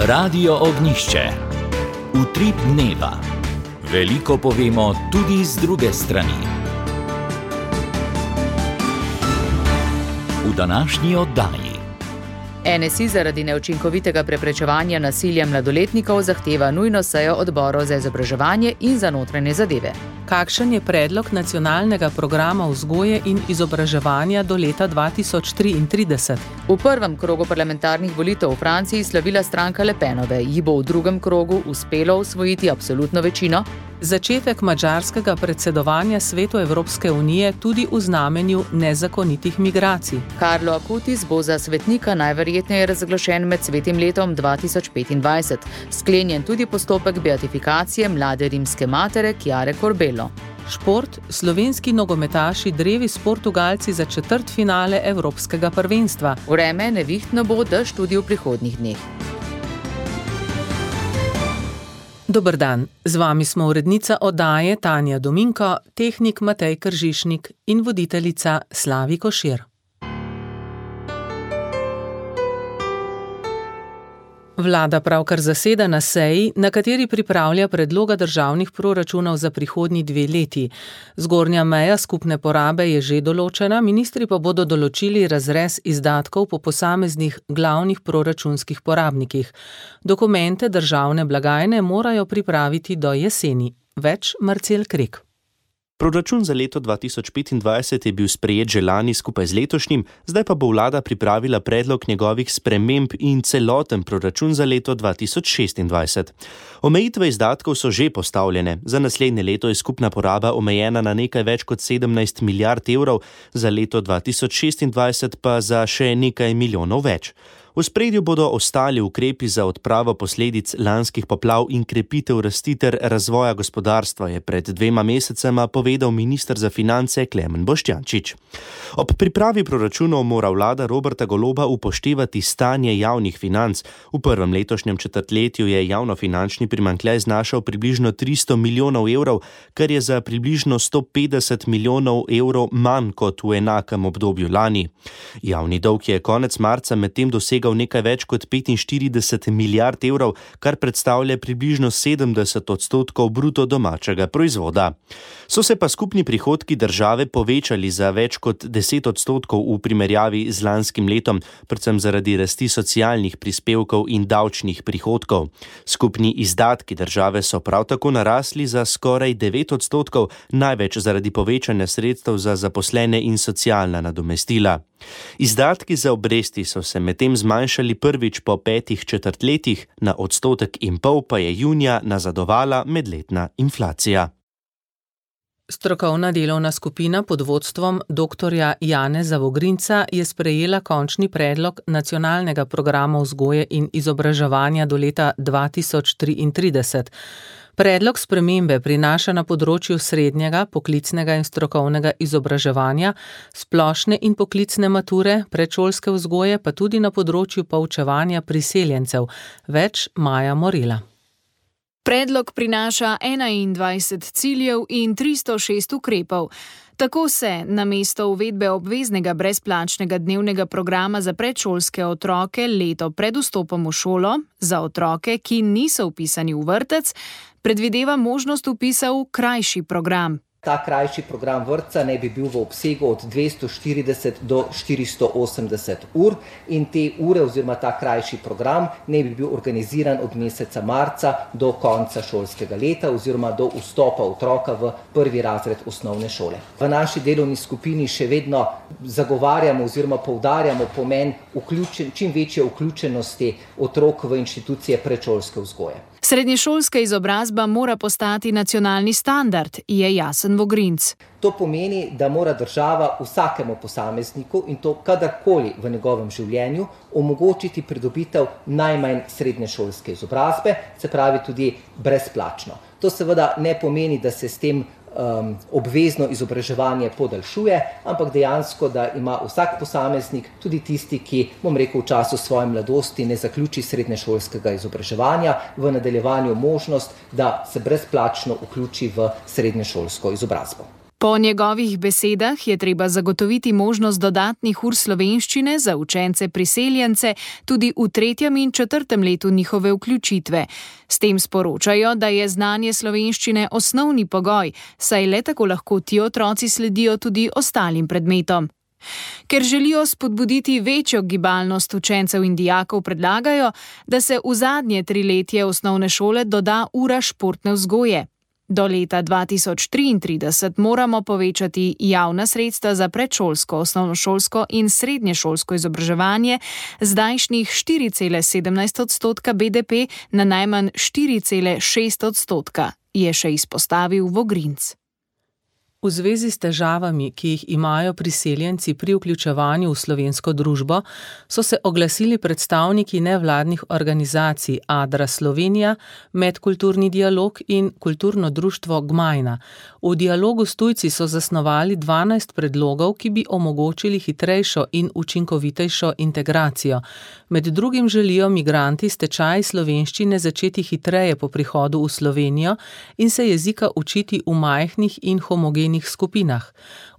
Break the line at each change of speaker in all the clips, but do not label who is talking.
Radio Ognjišče. Utrip dneva. Veliko povemo tudi z druge strani. V današnji oddaji.
NSI zaradi neučinkovitega preprečevanja nasilja mladoletnikov zahteva nujno sejo odborov za izobraževanje in za notranje zadeve.
Kakšen je predlog nacionalnega programa vzgoje in izobraževanja do leta 2033?
V prvem krogu parlamentarnih volitev v Franciji slavila stranka Le Penove. Ji bo v drugem krogu uspelo osvojiti absolutno večino?
Začetek madžarskega predsedovanja Svetu Evropske unije tudi v znamenju nezakonitih migracij.
Carlo Acutis bo za svetnika najverjetneje razglašen med svetim letom 2025. Sklenjen tudi postopek beatifikacije mlade rimske matere Chiare Corbello.
Šport, slovenski nogometaši drevi s Portugalci za četrtfinale Evropskega prvenstva.
Vreme nevihtno bo, dež tudi v prihodnjih dneh.
Dober dan, z vami smo urednica oddaje Tanja Dominko, tehnik Matej Kržišnik in voditeljica Slavi Košir. Vlada pravkar zaseda na seji, na kateri pripravlja predloga državnih proračunov za prihodnji 2 leti. Zgornja meja skupne porabe je že določena, ministri pa bodo določili razrez izdatkov po posameznih glavnih proračunskih porabnikih. Dokumente državne blagajne morajo pripraviti do jeseni. Več Marcel Krek.
Proračun za leto 2025 je bil sprejet že lani skupaj z letošnjim, zdaj pa bo vlada pripravila predlog njegovih sprememb in celoten proračun za leto 2026. Omejitve izdatkov so že postavljene. Za naslednje leto je skupna poraba omejena na nekaj več kot 17 milijard evrov, za leto 2026 pa za še nekaj milijonov več. V spredju bodo ostali ukrepi za odpravo posledic lanskih poplav in krepitev rasti ter razvoja gospodarstva, je pred 2 mesecema povedal minister za finance Klemen Boštjančič. Ob pripravi proračunov mora vlada Roberta Goloba upoštevati stanje javnih financ. V prvem letošnjem četrtletju je javnofinančni primanjkljaj znašal približno 300 milijonov evrov, kar je za približno 150 milijonov evrov manj kot v enakem obdobju lani. Javni dolg je konec marca medtem dosegal nekaj več kot 45 milijard evrov, kar predstavlja približno 70% bruto domačega proizvoda. So se pa skupni prihodki države povečali za več kot 10% v primerjavi z lanskim letom, predvsem zaradi rasti socialnih prispevkov in davčnih prihodkov. Skupni izdatki države so prav tako narasli za skoraj 9%, največ zaradi povečanja sredstev za zaposlene in socialna nadomestila. Izdatki za obresti so se medtem zmanjšali prvič po 5 četrtletjih, na 1,5% pa je junija nazadovala medletna inflacija.
Strokovna delovna skupina pod vodstvom dr. Janeza Vogrinca je sprejela končni predlog nacionalnega programa vzgoje in izobraževanja do leta 2033. Predlog spremembe prinaša na področju srednjega, poklicnega in strokovnega izobraževanja, splošne in poklicne mature, predšolske vzgoje, pa tudi na področju poučevanja priseljencev. Več Maja Morela.
Predlog prinaša 21 ciljev in 306 ukrepov. Tako se namesto uvedbe obveznega brezplačnega dnevnega programa za predšolske otroke leto pred vstopom v šolo, za otroke, ki niso vpisani v vrtec, predvideva možnost vpisa v krajši program.
Ta krajši program vrtca naj bi bil v obsegu od 240 do 480 ur in te ure oziroma ta krajši program naj bi bil organiziran od meseca marca do konca šolskega leta oziroma do vstopa otroka v 1. razred osnovne šole. V naši delovni skupini še vedno zagovarjamo oziroma poudarjamo pomen čim večje vključenosti otrok v inštitucije predšolske vzgoje.
Srednješolska izobrazba mora postati nacionalni standard, je jasen Vogrinc.
To pomeni, da mora država vsakemu posamezniku in to kadarkoli v njegovem življenju omogočiti pridobitev najmanj srednješolske izobrazbe, se pravi tudi brezplačno. To seveda ne pomeni, da se s tem obvezno izobraževanje podaljšuje, ampak dejansko, da ima vsak posameznik, tudi tisti, ki, v času svoje mladosti ne zaključi srednješolskega izobraževanja, v nadaljevanju možnost, da se brezplačno vključi v srednješolsko izobrazbo.
Po njegovih besedah je treba zagotoviti možnost dodatnih ur slovenščine za učence priseljence tudi v 3. in 4. letu njihove vključitve. S tem sporočajo, da je znanje slovenščine osnovni pogoj, saj le tako lahko ti otroci sledijo tudi ostalim predmetom. Ker želijo spodbuditi večjo gibalnost učencev in dijakov, predlagajo, da se v zadnje 3 letje osnovne šole doda ura športne vzgoje. Do leta 2033 moramo povečati javna sredstva za predšolsko, osnovnošolsko in srednješolsko izobraževanje z zdajšnjih 4,17% BDP na najmanj 4,6%, je še izpostavil Vogrinc.
V zvezi s težavami, ki jih imajo priseljenci pri vključevanju v slovensko družbo, so se oglasili predstavniki nevladnih organizacij Adra Slovenija, Medkulturni dialog in Kulturno društvo Gmajna. V dialogu s tujci so zasnovali 12 predlogov, ki bi omogočili hitrejšo in učinkovitejšo integracijo. Med drugim želijo migranti s tečaji slovenščine začeti hitreje po prihodu v Slovenijo in se jezika učiti v majhnih in homogenih skupinah.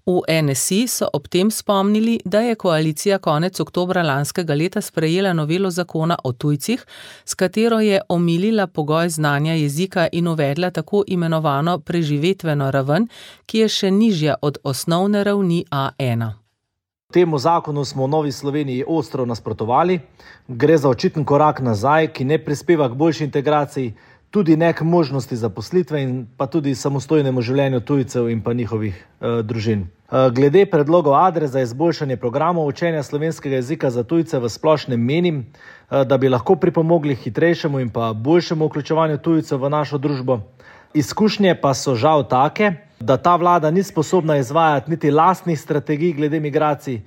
V NSI so ob tem spomnili, da je koalicija konec oktobra lanskega leta sprejela novelo zakona o tujcih, s katero je omilila pogoj znanja jezika in uvedla tako imenovano preživetveno raven, ki je še nižja od osnovne ravni A1.
Temu zakonu smo v Novi Sloveniji ostro nasprotovali. Gre za očiten korak nazaj, ki ne prispeva k boljši integraciji, tudi ne k možnosti zaposlitve in pa tudi samostojnemu življenju tujcev in pa njihovih družin. Glede predlogov Adre za izboljšanje programov učenja slovenskega jezika za tujce v splošnem menim, da bi lahko pripomogli hitrejšemu in pa boljšemu vključevanju tujcev v našo družbo. Izkušnje pa so žal take, da ta vlada ni sposobna izvajati niti lastnih strategij glede migracij,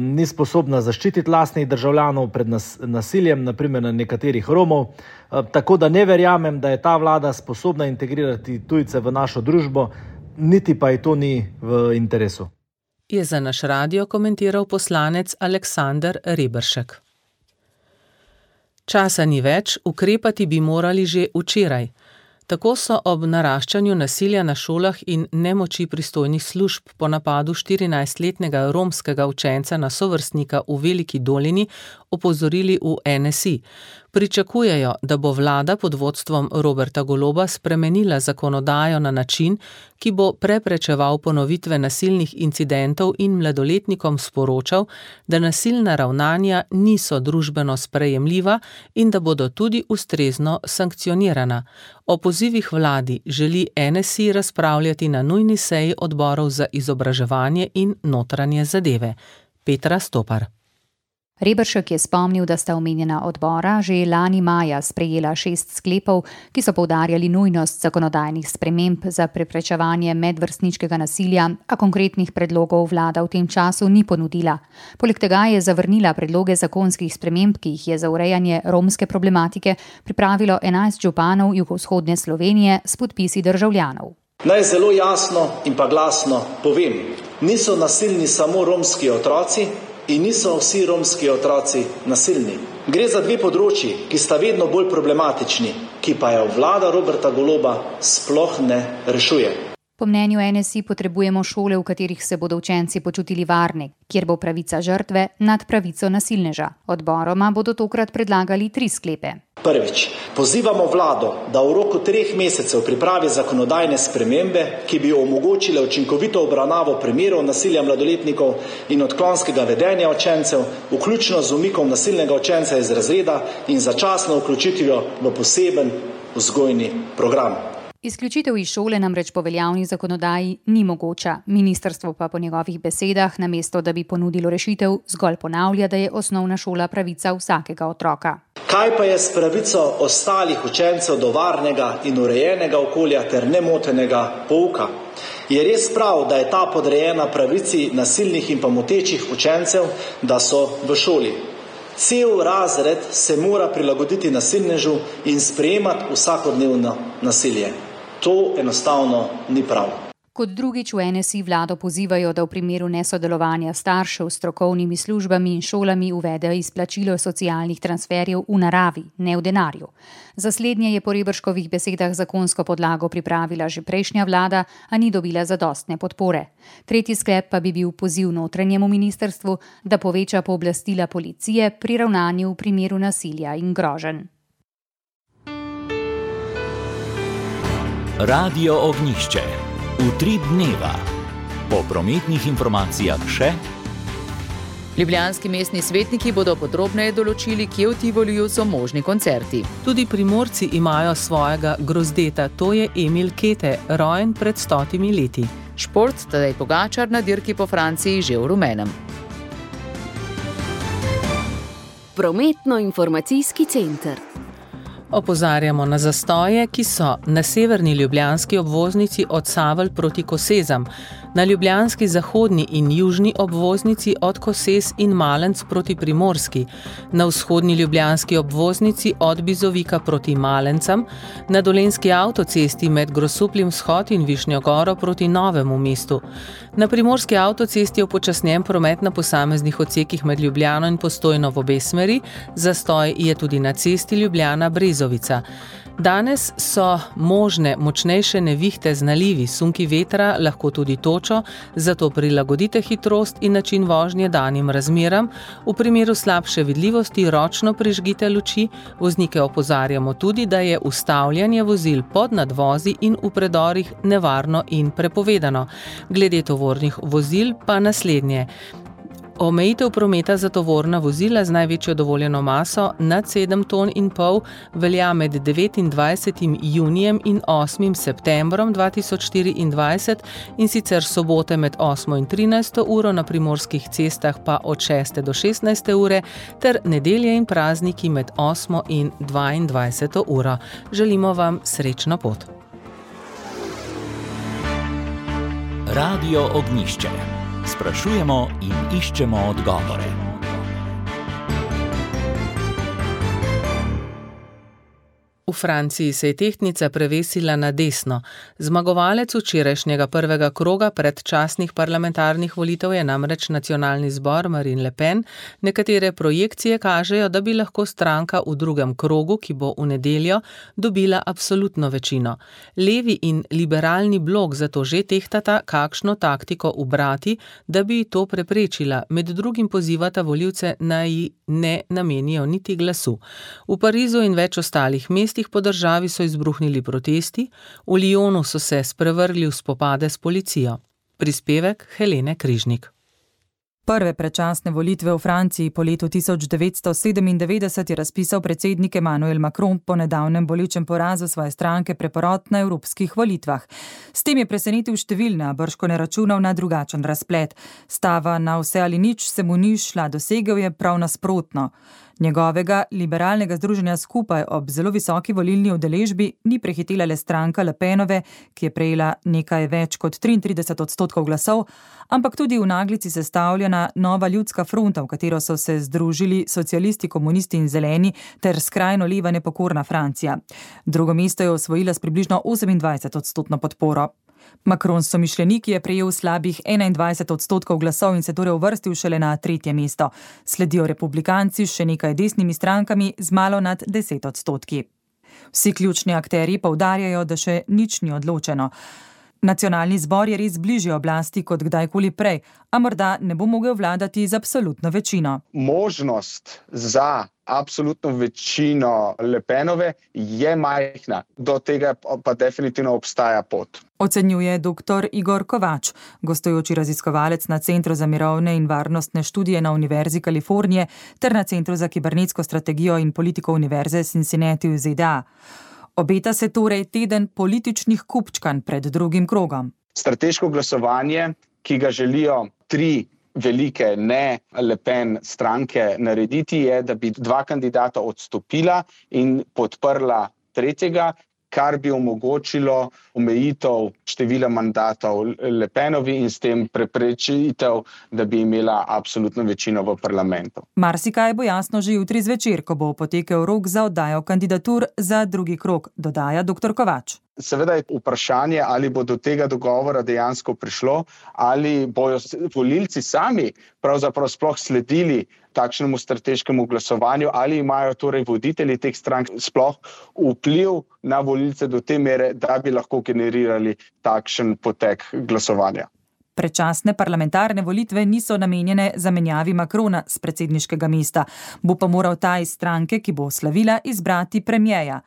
ni sposobna zaščititi lastnih državljanov pred nasiljem, naprimer na nekaterih Romov, tako da ne verjamem, da je ta vlada sposobna integrirati tujce v našo družbo, niti pa ji to ni v interesu.
Je za naš radio komentiral poslanec Aleksander Reberšek. Časa ni več, ukrepati bi morali že včeraj. Tako so ob naraščanju nasilja na šolah in nemoči pristojnih služb po napadu 14-letnega romskega učenca na sovrstnika v Veliki Dolini opozorili v NSI. Pričakujejo, da bo vlada pod vodstvom Roberta Goloba spremenila zakonodajo na način, ki bo preprečeval ponovitve nasilnih incidentov in mladoletnikom sporočal, da nasilna ravnanja niso družbeno sprejemljiva in da bodo tudi ustrezno sankcionirana. O pozivih vladi želi NSI razpravljati na nujni seji odborov za izobraževanje in notranje zadeve. Petra Stopar.
Reberšek je spomnil, da sta omenjena odbora že lani maja sprejela 6 sklepov, ki so poudarjali nujnost zakonodajnih sprememb za preprečevanje medvrstniškega nasilja, a konkretnih predlogov vlada v tem času ni ponudila. Poleg tega je zavrnila predloge zakonskih sprememb, ki jih je za urejanje romske problematike pripravilo 11 županov jugovzhodne Slovenije s podpisi državljanov.
Naj zelo jasno in pa glasno povem, niso nasilni samo romski otroci, in niso vsi romski otroci nasilni. Gre za 2 področji, ki sta vedno bolj problematični, ki pa jo vlada Roberta Goloba sploh ne rešuje.
Po mnenju NSI potrebujemo šole, v katerih se bodo učenci počutili varni, kjer bo pravica žrtve nad pravico nasilneža. Odboroma bodo tokrat predlagali 3 sklepe.
Prvič, pozivamo vlado, da v roku 3 mesecev pripravi zakonodajne spremembe, ki bi omogočile učinkovito obravnavo primerov nasilja mladoletnikov in odklonskega vedenja učencev, vključno z umikom nasilnega učenca iz razreda in začasno vključitvijo v poseben vzgojni program.
Izključitev iz šole namreč po veljavni zakonodaji ni mogoča. Ministrstvo pa po njegovih besedah, namesto da bi ponudilo rešitev, zgolj ponavlja, da je osnovna šola pravica vsakega otroka.
Kaj pa je s pravico ostalih učencev do varnega in urejenega okolja ter nemotenega pouka? Je res prav, da je ta podrejena pravici nasilnih in pa motečih učencev, da so v šoli? Cel razred se mora prilagoditi nasilnežu in sprejemati vsakodnevno nasilje. To enostavno ni prav.
Kot drugič v NSI vlado pozivajo, da v primeru nesodelovanja staršev s strokovnimi službami in šolami uvedejo izplačilo socialnih transferjev v naravi, ne v denarju. Za slednje je po Reberškovih besedah zakonsko podlago pripravila že prejšnja vlada, a ni dobila zadostne podpore. Tretji sklep pa bi bil poziv notranjemu ministrstvu, da poveča pooblastila policije pri ravnanju v primeru nasilja in groženj.
Radio Ognjišče. Utrip dneva. Po prometnih informacijah še.
Ljubljanski mestni svetniki bodo podrobneje določili, kje v Tivoliju so možni koncerti.
Tudi Primorci imajo svojega grozdeta, to je Emil Kete, rojen pred 100 leti.
Šport, Tadej Pogačar na dirki po Franciji že v rumenem.
Prometno-informacijski center.
Opozarjamo na zastoje, ki so na severni ljubljanski obvoznici od Savelj proti Kosezam, na ljubljanski zahodni in južni obvoznici od Kosez in Malenc proti Primorski, na vzhodni ljubljanski obvoznici od Bizovika proti Malencam, na dolenjski avtocesti med Grosupljem vzhod in Višnjo Goro proti Novemu mestu, na primorski avtocesti upočasnjen promet na posameznih odsekih med Ljubljano in Postojno v obe smeri, zastoj je tudi na cesti Ljubljana-Brezovica. Danes so možne močnejše nevihte z nalivi, sunki vetra, lahko tudi točo, zato prilagodite hitrost in način vožnje danim razmeram. V primeru slabše vidljivosti ročno prižgite luči. Voznike opozarjamo tudi, da je ustavljanje vozil pod nadvozi in v predorih nevarno in prepovedano. Glede tovornih vozil pa naslednje. Omejitev prometa za tovorna vozila z največjo dovoljeno maso nad 7,5 ton velja med 29. junijem in 8. septembrom 2024 in sicer sobote med 8. in 13. uro na primorskih cestah pa od 6. do 16. ure ter nedelje in prazniki med 8. in 22. uro. Želimo vam srečno pot.
Radio Ognjišče. Sprašujemo in iščemo odgovore.
V Franciji se je tehtnica prevesila na desno. Zmagovalec včerajšnjega prvega kroga predčasnih parlamentarnih volitev je namreč nacionalni zbor Marine Le Pen. Nekatere projekcije kažejo, da bi lahko stranka v drugem krogu, ki bo v nedeljo, dobila absolutno večino. Levi in liberalni blok zato že tehtata, kakšno taktiko ubrati, da bi to preprečila. Med drugim pozivata volivce naj ne namenijo niti glasu. V Parizu in več ostalih mestih po državi so izbruhnili protesti, v Lyonu so se sprevrgli v spopade s policijo. Prispevek Helene Križnik.
Prve predčasne volitve v Franciji po letu 1997 je razpisal predsednik Emmanuel Macron po nedavnem bolečem porazu svoje stranke Preporod na evropskih volitvah. S tem je presenetil številne, a bržko ne računal na drugačen razplet. Stava na vse ali nič se mu ni šla, dosegel je prav nasprotno. Njegovega liberalnega združenja Skupaj ob zelo visoki volilni udeležbi ni prehitela le stranka Le Penove, ki je prejela nekaj več kot 33% glasov, ampak tudi v naglici sestavljena Nova ljudska fronta, v katero so se združili socialisti, komunisti in zeleni ter skrajno leva nepokorna Francija. Drugo mesto je osvojila s približno 28% podporo. Macron somišljeniki je prejel slabih 21% glasov in se torej uvrstil šele na 3. mesto. Sledijo republikanci s še nekaj desnimi strankami z malo nad 10%. Vsi ključni akterji poudarjajo, da še nič ni odločeno. Nacionalni zbor je res bližje oblasti kot kdajkoli prej, a morda ne bo mogel vladati z absolutno večino.
Možnost za absolutno večino Le Penove je majhna, do tega pa definitivno obstaja pot.
Ocenjuje dr. Igor Kovač, gostujoči raziskovalec na Centru za mirovne in varnostne študije na Univerzi Kalifornije ter na Centru za kibernetsko strategijo in politiko Univerze Cincinnati v ZDA. Obeta se torej teden političnih kupčkanj pred drugim krogom.
Strateško glasovanje, ki ga želijo 3 velike ne Le Pen stranke narediti, je, da bi 2 kandidata odstopila in podprla tretjega, kar bi omogočilo omejitev števila mandatov Le Penovi in s tem preprečitev, da bi imela absolutno večino v parlamentu.
Marsikaj bo jasno že jutri zvečer, ko bo potekel rok za oddajo kandidatur za drugi krog, dodaja dr. Kovač.
Seveda je vprašanje, ali bo do tega dogovora dejansko prišlo, ali bojo volilci sami pravzaprav sploh sledili takšnemu strateškemu glasovanju, ali imajo torej voditelji teh strank sploh vpliv na volilce do te mere, da bi lahko generirali takšen potek glasovanja.
Predčasne parlamentarne volitve niso namenjene zamenjavi Macrona s predsedniškega mesta, bo pa moral ta iz stranke, ki bo slavila, izbrati premierja.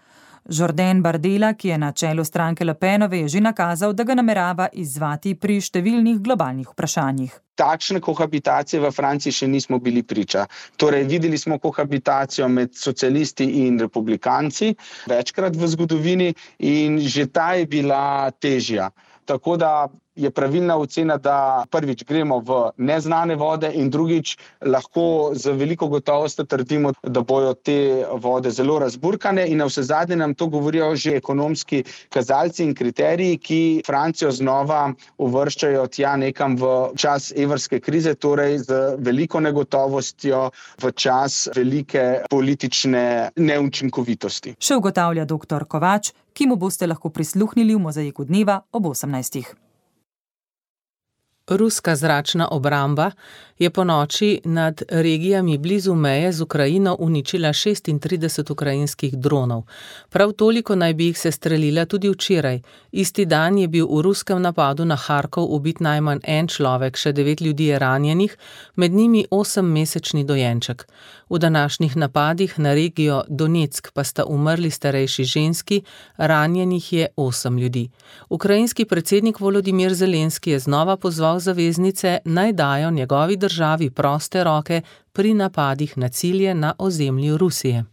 Jordan Bardella, ki je na čelu stranke Le Penove, je že nakazal, da ga namerava izzvati pri številnih globalnih vprašanjih.
Takšne kohabitacije v Franciji še nismo bili priča. Torej, videli smo kohabitacijo med socialisti in republikanci večkrat v zgodovini in že ta je bila težja. Tako da je pravilna ocena, da prvič gremo v neznane vode in drugič lahko z veliko gotovostjo trdimo, da bojo te vode zelo razburkane in navsezadnje nam to govorijo že ekonomski kazalci in kriteriji, ki Francijo znova uvrščajo tja nekam v čas evrske krize, torej z veliko negotovostjo v čas velike politične neučinkovitosti.
Še ugotavlja dr. Kovač, ki mu boste lahko prisluhnili v Mozaiku dneva ob 18.
Ruska zračna obramba je ponoči nad regijami blizu meje z Ukrajino uničila 36 ukrajinskih dronov. Prav toliko naj bi jih sestrelila tudi včeraj. Isti dan je bil v ruskem napadu na Harkov ubit najmanj en človek, še 9 ljudi je ranjenih, med njimi 8-mesečni dojenček. V današnjih napadih na regijo Donetsk pa sta umrli starejši ženski, ranjenih je 8 ljudi. Ukrajinski predsednik Volodimir Zelenski je znova pozval zaveznice, naj dajo njegovi državi proste roke pri napadih na cilje na ozemlju Rusije.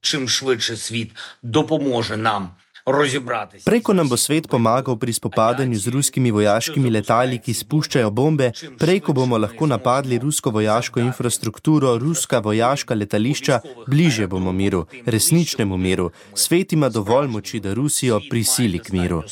Čim švидше svet dopomože nam rozібратися.
Preko nam bo svet pomagal pri spopadanju z ruskimi vojaškimi letali, ki spuščajo bombe, preko bomo lahko napadli rusko vojaško infrastrukturo, ruska vojaška letališča, bližje bomo miru, resničnemu miru. Svet ima dovolj moči, da Rusijo prisili k miru.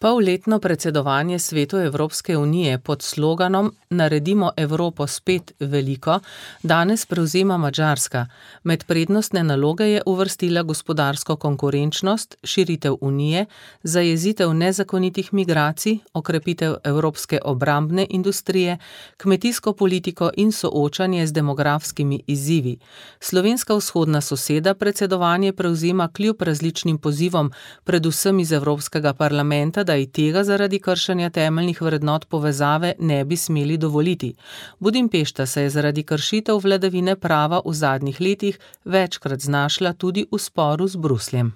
Polletno predsedovanje Svetu Evropske unije pod sloganom Naredimo Evropo spet veliko danes prevzema Madžarska. Med prednostne naloge je uvrstila gospodarsko konkurenčnost, širitev unije, zajezitev nezakonitih migracij, okrepitev evropske obrambne industrije, kmetijsko politiko in soočanje z demografskimi izzivi. Slovenska vzhodna soseda predsedovanje prevzema kljub različnim pozivom, predvsem iz Evropskega parlamenta, da i tega zaradi kršenja temeljnih vrednot povezave ne bi smeli dovoliti. Budimpešta se je zaradi kršitev vladavine prava v zadnjih letih večkrat znašla tudi v sporu z Brusljem.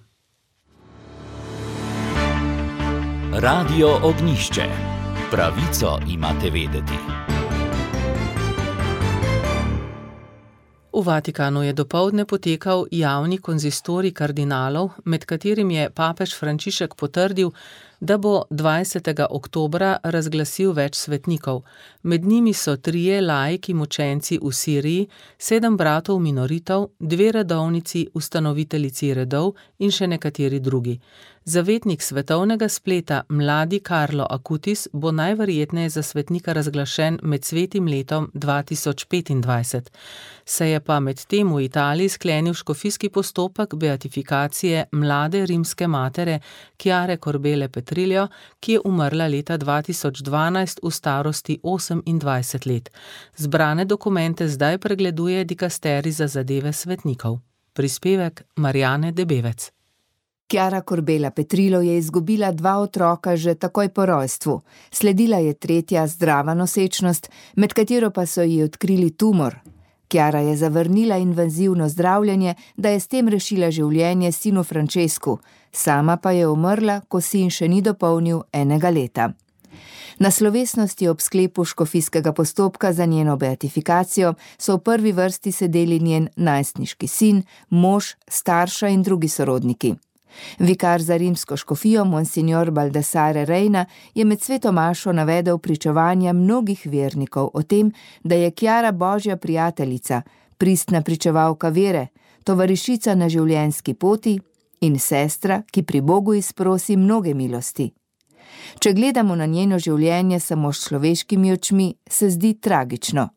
Radio Ognjišče. Pravico imate vedeti.
V Vatikanu je dopoldne potekal javni konzistorij kardinalov, med katerim je papež Frančišek potrdil, da bo 20. oktobra razglasil več svetnikov. Med njimi so 3 laiki mučenci v Siriji, 7 bratov minoritov, 2 redovnici, ustanoviteljici redov in še nekateri drugi. Zavetnik svetovnega spleta, mladi Carlo Acutis, bo najverjetneje za svetnika razglašen med svetim letom 2025. Se je pa med tem v Italiji sklenil škofijski postopek beatifikacije mlade rimske matere Chiare Corbele Petrillo, ki je umrla leta 2012 v starosti 28 let. Zbrane dokumente zdaj pregleduje dikasterij za zadeve svetnikov. Prispevek Marjane Debevec.
Chiara Corbela Petrillo je izgubila 2 otroka že takoj po rojstvu. Sledila je 3. zdrava nosečnost, med katero pa so ji odkrili tumor. Chiara je zavrnila invazivno zdravljenje, da je s tem rešila življenje sinu Francesku, sama pa je umrla, ko sin še ni dopolnil 1 leta. Na slovesnosti ob sklepu škofijskega postopka za njeno beatifikacijo so v prvi vrsti sedeli njen najstniški sin, mož, starša in drugi sorodniki. Vikar za rimsko škofijo, monsignor Baldassare Reina, je med sveto mašo navedel pričevanja mnogih vernikov o tem, da je Chiara božja prijateljica, pristna pričevalka vere, tovarišica na življenjski poti in sestra, ki pri Bogu izprosi mnoge milosti. Če gledamo na njeno življenje samo s človeškimi očmi, se zdi tragično.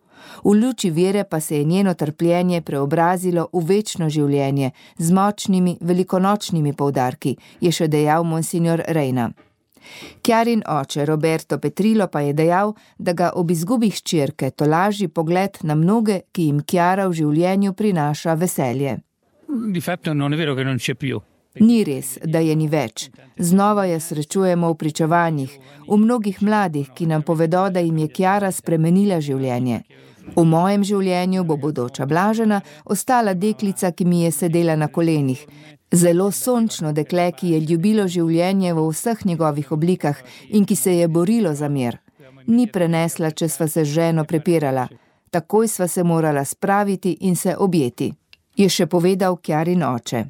V luči vere pa se je njeno trpljenje preobrazilo v večno življenje z močnimi velikonočnimi poudarki, je še dejal monsignor Reina. Kjarin oče Roberto Petrilo pa je dejal, da ga ob izgubi hčerke tolaži pogled na mnoge, ki jim Kjara v življenju prinaša veselje.
Di fatto non è vero che non c'è più.
Ni res, da je ni več. Znova jo srečujemo v pričevanjih, v mnogih mladih, ki nam povedo, da jim je Kjara spremenila življenje. V mojem življenju bo bodoča Blažena ostala deklica, ki mi je sedela na kolenih. Zelo sončno dekle, ki je ljubilo življenje v vseh njegovih oblikah in ki se je borilo za mir. Ni prenesla, če sva se z ženo prepirala. Takoj sva se morala spraviti in se objeti, je še povedal Kjarin oče.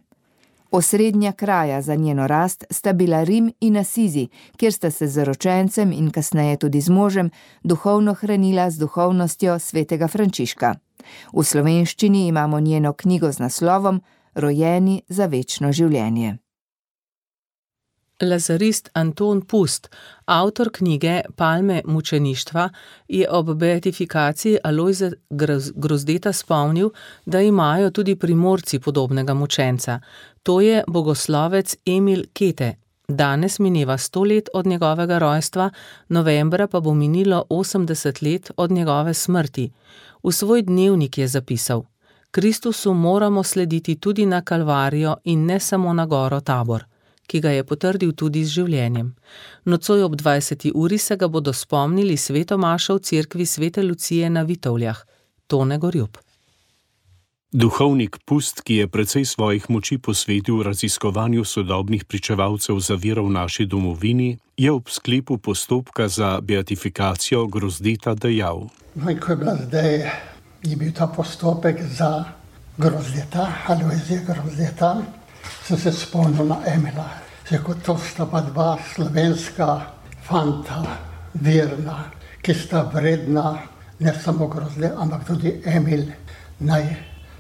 Osrednja kraja za njeno rast sta bila Rim in Asizi, kjer sta se z zaročencem in kasneje tudi z možem duhovno hranila z duhovnostjo svetega Frančiška. V slovenščini imamo njeno knjigo z naslovom Rojeni za večno življenje.
Lazarist Anton Pust, avtor knjige Palme mučeništva, je ob beatifikaciji Alojze Grozdeta spomnil, da imajo tudi Primorci podobnega mučenca. To je bogoslovec Emil Kete. Danes mineva 100 let od njegovega rojstva, novembra pa bo minilo 80 let od njegove smrti. V svoj dnevnik je zapisal: Kristusu moramo slediti tudi na Kalvarijo in ne samo na goro Tabor, ki ga je potrdil tudi z življenjem. Nocoj ob 20. uri se ga bodo spomnili svetomašo v cerkvi Svete Lucije na Vitovljah. Tone Gorjup.
Duhovnik Pust, ki je precej svojih moči posvetil raziskovanju sodobnih pričevalcev za vero v naši domovini, je ob sklepu postopka za beatifikacijo Grozdeta dejal:
Ko je bila zdaj, je bil ta postopek za Grozdeta, Alojzija Grozdeta, sem se spomnil na Emila. Kot to sta pa dva slovenska fanta, verna, ki sta vredna, ne samo Grozde, ampak tudi Emil, naj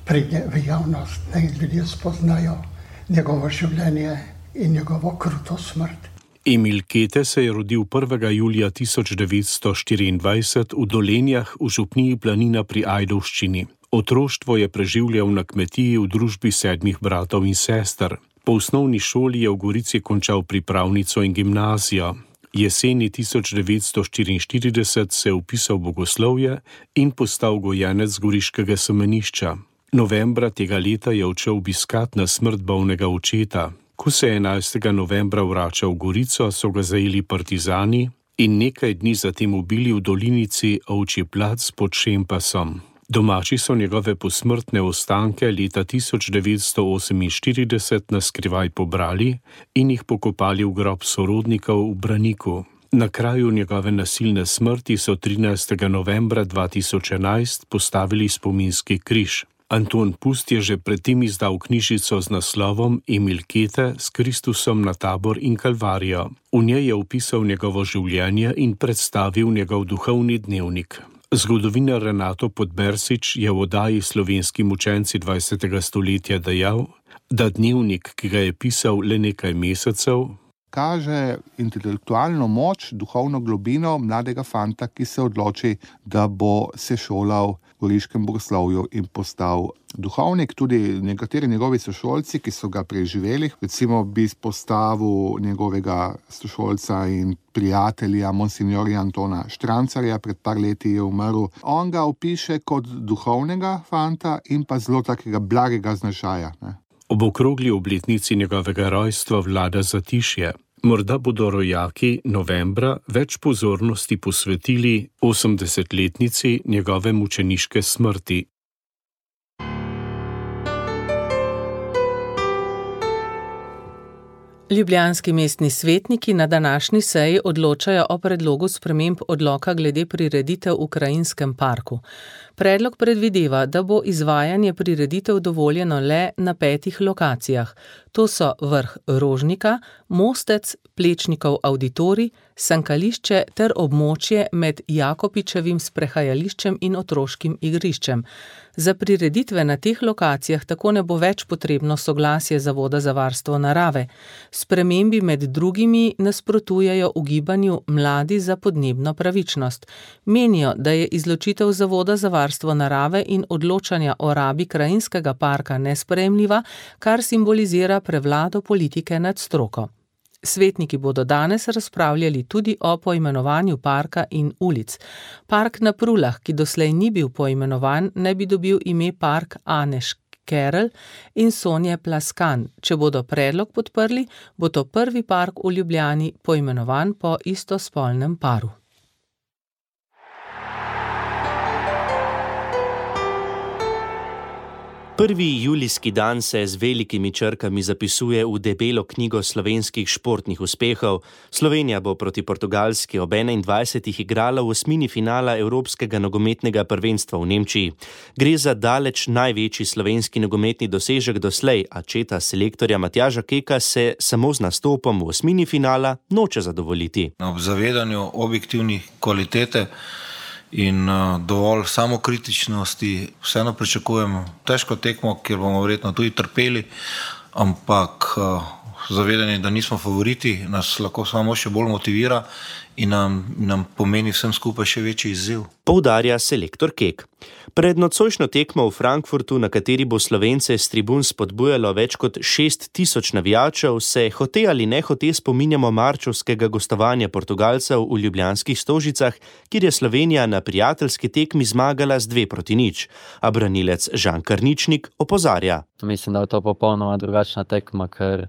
pride v javnost, naj ljudje spoznajo njegovo življenje in njegovo kruto smrt.
Emil Kete se je rodil 1. julija 1924 v Dolenjah v župniji Planina pri Ajdovščini. Otroštvo je preživljal na kmetiji v družbi 7 bratov in sester. Po osnovni šoli je v Gorici končal pripravnico in gimnazijo. Jeseni 1944 se je vpisal v bogoslovje in postal gojenec goriškega semenišča. Novembra tega leta je odšel obiskat na smrt bolnega očeta. Ko se je 11. novembra vračal v Gorico, so ga zajeli partizani in nekaj dni zatem ubili v dolinici Ovčji plac pod Šempasom. Domači so njegove posmrtne ostanke leta 1948 naskrivaj pobrali in jih pokopali v grob sorodnikov v Braniku. Na kraju njegove nasilne smrti so 13. novembra 2011 postavili spominski križ. Anton Pust je že predtem izdal knjižico z naslovom Emil Kete s Kristusom na Tabor in Kalvarijo. V njej je opisal njegovo življenje in predstavil njegov duhovni dnevnik. Zgodovinar Renato Podbersič je v oddaji Slovenski mučenci 20. stoletja dejal, da dnevnik, ki ga je pisal le nekaj mesecev,
kaže intelektualno moč, duhovno globino mladega fanta, ki se odloči, da bo se šolal v goriškem bogoslovju in postal duhovnik. Tudi nekateri njegovi sošolci, ki so ga preživeli, recimo bi izpostavil njegovega sošolca in prijatelja monsignorja Antona Štrancarja, pred par leti je umrl. On ga opiše kot duhovnega fanta in pa zelo takega blagega značaja.
Ob okrogli obletnici njegovega rojstva vlada zatišje. Morda bodo rojaki novembra več pozornosti posvetili 80-letnici njegove mučeniške smrti.
Ljubljanski mestni svetniki na današnji seji odločajo o predlogu sprememb odloka glede prireditev v Krajinskem parku. Predlog predvideva, da bo izvajanje prireditev dovoljeno le na 5 lokacijah. To so vrh Rožnika, Mostec, Plečnikov avditorij, sankališče ter območje med Jakopičevim sprehajališčem in otroškim igriščem. Za prireditve na teh lokacijah tako ne bo več potrebno soglasje Zavoda za varstvo narave. Spremembi med drugimi nasprotujejo ugibanju Mladi za podnebno pravičnost. Menijo, da je izločitev Zavoda za varstvo narave in odločanja o rabi krajinskega parka nesprejemljiva, kar simbolizira prevlado politike nad stroko. Svetniki bodo danes razpravljali tudi o poimenovanju parka in ulic. Park na Prulah, ki doslej ni bil poimenovan, ne bi dobil ime Park Aneš Kerl in Sonje Plaskan. Če bodo predlog podprli, bo to prvi park v Ljubljani poimenovan po istospolnem paru.
Prvi julijski dan se z velikimi črkami zapisuje v debelo knjigo slovenskih športnih uspehov. Slovenija bo proti Portugalski ob 21. igrala v osmini finala Evropskega nogometnega prvenstva v Nemčiji. Gre za daleč največji slovenski nogometni dosežek doslej, a četa selektorja Matjaža Keka se samo z nastopom v osmini finala noče zadovoljiti.
Ob zavedanju objektivnih kvalitete in dovolj samokritičnosti vseeno pričakujemo težko tekmo, kjer bomo verjetno tudi trpeli, ampak zavedanje, da nismo favoriti, nas lahko samo še bolj motivira in nam pomeni vsem skupaj še večji izziv.
Poudarja selektor Kek. Pred nocojšnjo tekmo v Frankfurtu, na kateri bo Slovence s tribun spodbujalo več kot 6.000 navijačev, se hote ali nehote spominjamo marčevskega gostovanja Portugalcev v ljubljanskih Stožicah, kjer je Slovenija na prijateljski tekmi zmagala z 2-0, a branilec Žan Karničnik opozarja.
Mislim, da je to popolnoma drugačna tekma, ker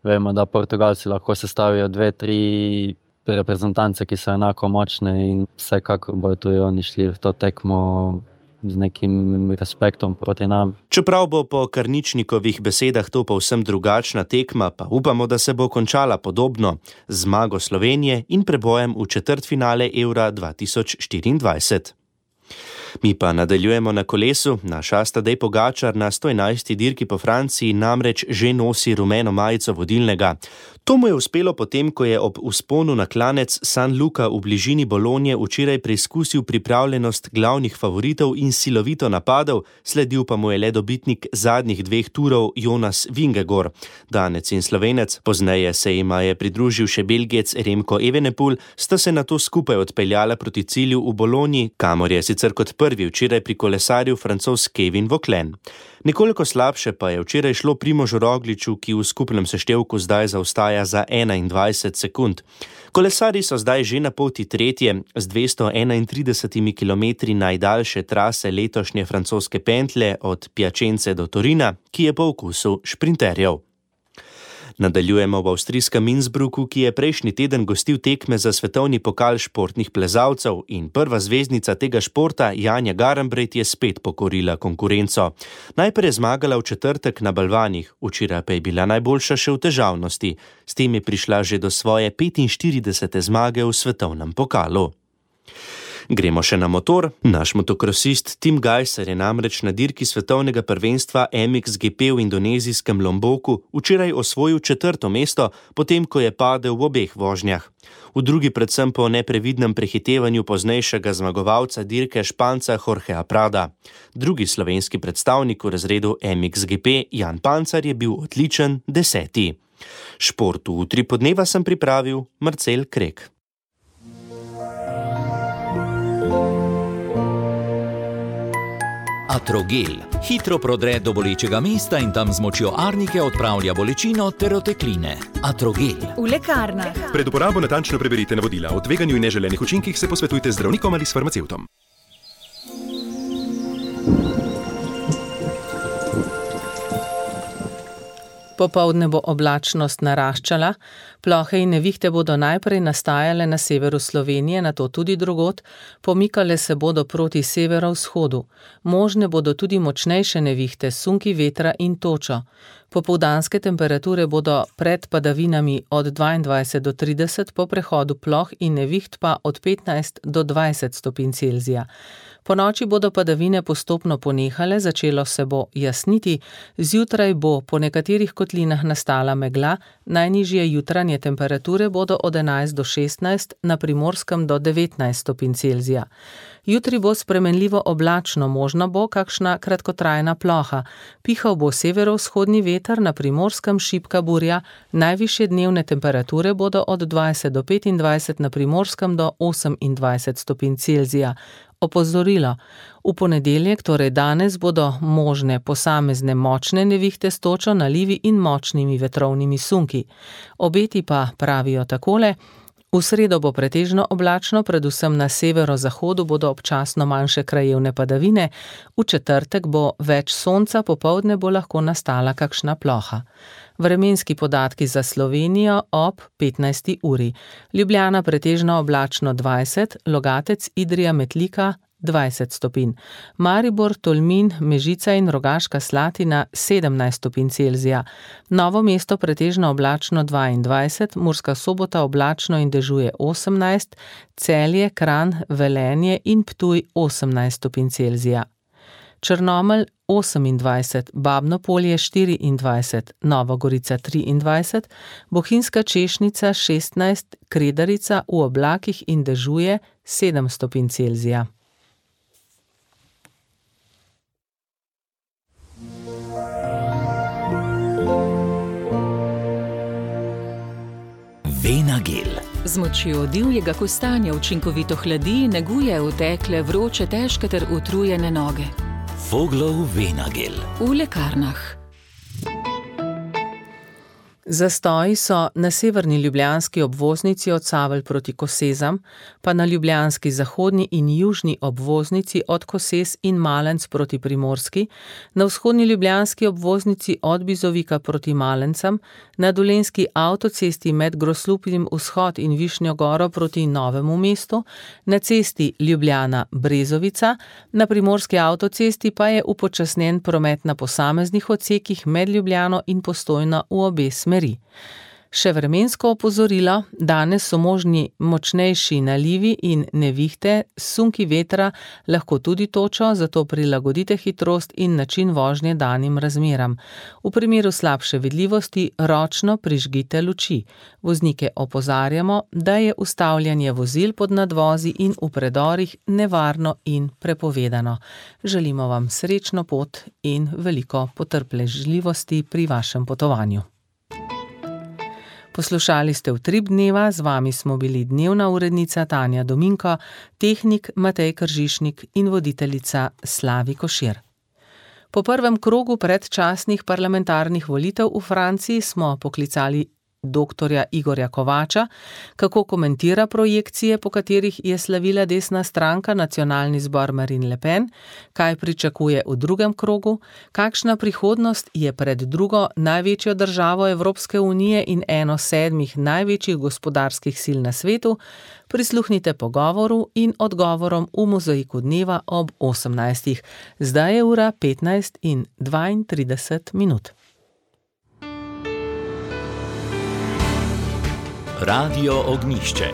vemo, da Portugalci lahko sestavijo 2-3 reprezentance, ki so enako močne in vsekakor bojo tudi oni šli v to tekmo z nekim respektom proti nam.
Čeprav bo po Karničnikovih besedah to povsem drugačna tekma, pa upamo, da se bo končala podobno, z zmago Slovenije in prebojem v četrtfinale Eura 2024. Mi pa nadaljujemo na kolesu. Naš Tadej Pogačar na 111. dirki po Franciji namreč že nosi rumeno majico vodilnega. To mu je uspelo potem, ko je ob vzponu na klanec San Luca v bližini Bolonje včeraj preizkusil pripravljenost glavnih favoritov in silovito napadel, sledil pa mu je le dobitnik zadnjih 2 turov Jonas Vingegaard. Danec in Slovenec, pozneje se jima je pridružil še Belgijec Remko Evenepoel, sta se nato skupaj odpeljala proti cilju v Bolonji, kamor je sicer kot prvi včeraj prikolesaril Francoz Kevin Vauquelin. Nekoliko slabše pa je včeraj šlo Primožu Rogliču, ki v skupnem seštevku zdaj zaostaja za 21 sekund. Kolesarji so zdaj že na poti tretje, z 231 kilometri najdaljše trase letošnje francoske pentlje od Piacence do Torina, ki je po okusu šprinterjev. Nadaljujemo v avstrijskem Innsbrucku, ki je prejšnji teden gostil tekme za svetovni pokal športnih plezalcev in prva zvezdnica tega športa, Janja Garnbret, je spet pokorila konkurenco. Najprej je zmagala v četrtek na balvanih, včeraj pa je bila najboljša še v težavnosti. S tem je prišla že do svoje 45. zmage v svetovnem pokalu. Gremo še na motor. Naš motokrosist Tim Gajser je namreč na dirki svetovnega prvenstva MXGP v indonezijskem Lomboku včeraj osvojil 4. mesto, potem ko je padel v obeh vožnjah. V drugi predvsem po neprevidnem prehitevanju poznejšega zmagovalca dirke Španca Jorgea Prada. Drugi slovenski predstavnik v razredu MXGP, Jan Pancar, je bil odličen 10. Šport v Utripu dneva sem pripravil Marcel Krek.
Atrogel. Hitro prodre do bolečega mesta in tam z močjo arnike odpravlja bolečino ter otekline. Atrogel.
V lekarnah.
Pred uporabo natančno preberite navodila. O tveganju in neželenih učinkih se posvetujte z zdravnikom ali s farmacevtom.
Popoldne bo oblačnost naraščala, plohe in nevihte bodo najprej nastajale na severu Slovenije, nato tudi drugod, pomikale se bodo proti severovzhodu. Možne bodo tudi močnejše nevihte, sunki vetra in točo. Popoldanske temperature bodo pred padavinami od 22 do 30, po prehodu ploh in neviht pa od 15 do 20 stopinj Celzija. Ponoči bodo padavine postopno ponehale, začelo se bo jasniti, zjutraj bo po nekaterih kotlinah nastala megla, najnižje jutranje temperature bodo od 11 do 16, na Primorskem do 19 stopinj Celzija. Jutri bo spremenljivo oblačno, možno bo kakšna kratkotrajna ploha. Pihal bo severovzhodni veter, na Primorskem šibka burja, najvišje dnevne temperature bodo od 20 do 25, na Primorskem do 28 stopinj Celzija. Opozorilo. V ponedeljek, torej danes, bodo možne posamezne močne nevihte s točo, nalivi in močnimi vetrovnimi sunki. Obeti pa pravijo takole: v sredo bo pretežno oblačno, predvsem na severozahodu bodo občasno manjše krajevne padavine, v četrtek bo več sonca, popoldne bo lahko nastala kakšna ploha. Vremenski podatki za Slovenijo ob 15. uri. Ljubljana pretežno oblačno 20, Logatec, Idrija, Metlika 20 stopinj. Maribor, Tolmin, Mežica in Rogaška Slatina 17 stopinj Celzija. Novo mesto pretežno oblačno 22, Murska Sobota oblačno in dežuje 18, Celje, Kranj, Velenje in Ptuj 18 stopinj Celzija. Črnomelj 28, Babno Polje 24, Nova Gorica 23, Bohinjska Češnica 16, Kredarica v oblakih in dežuje 7 stopinj Celzija.
Venagel.
Z močjo divjega kostanja učinkovito hladi, neguje utekle, vroče, težke ter utrujene noge.
Voglov Venagel.
V lekarnah.
Zastoji so na severni ljubljanski obvoznici od Savelj proti Kosezam, pa na ljubljanski zahodni in južni obvoznici od Kosez in Malenc proti Primorski, na vzhodni ljubljanski obvoznici od Bizovika proti Malencam, na dolenjski avtocesti med Groslupim vzhod in Višnjo Goro proti Novemu mestu, na cesti Ljubljana-Brezovica, na primorski avtocesti pa je upočasnjen promet na posameznih odsekih med Ljubljano in Postojno v obe smeri. Še vremensko opozorilo, danes so možni močnejši nalivi in nevihte, sunki vetra lahko tudi točo, zato prilagodite hitrost in način vožnje danim razmeram. V primeru slabše vidljivosti ročno prižgite luči. Voznike opozarjamo, da je ustavljanje vozil pod nadvozi in v predorih nevarno in prepovedano. Želimo vam srečno pot in veliko potrpežljivosti pri vašem potovanju. Poslušali ste Utrip dneva, z vami smo bili dnevna urednica Tanja Dominko, tehnik Matej Kržišnik in voditeljica Slavi Košir. Po prvem krogu predčasnih parlamentarnih volitev v Franciji smo poklicali doktorja Igorja Kovača, kako komentira projekcije, po katerih je slavila desna stranka Nacionalni zbor Marine Le Pen, kaj pričakuje v drugem krogu, kakšna prihodnost je pred drugo največjo državo Evropske unije in eno 7 največjih gospodarskih sil na svetu. Prisluhnite pogovoru in odgovorom v Mozaiku dneva ob 18. Zdaj je ura 15:32.
Radio Ognjišče.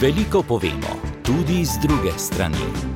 Veliko povemo, tudi z druge strani.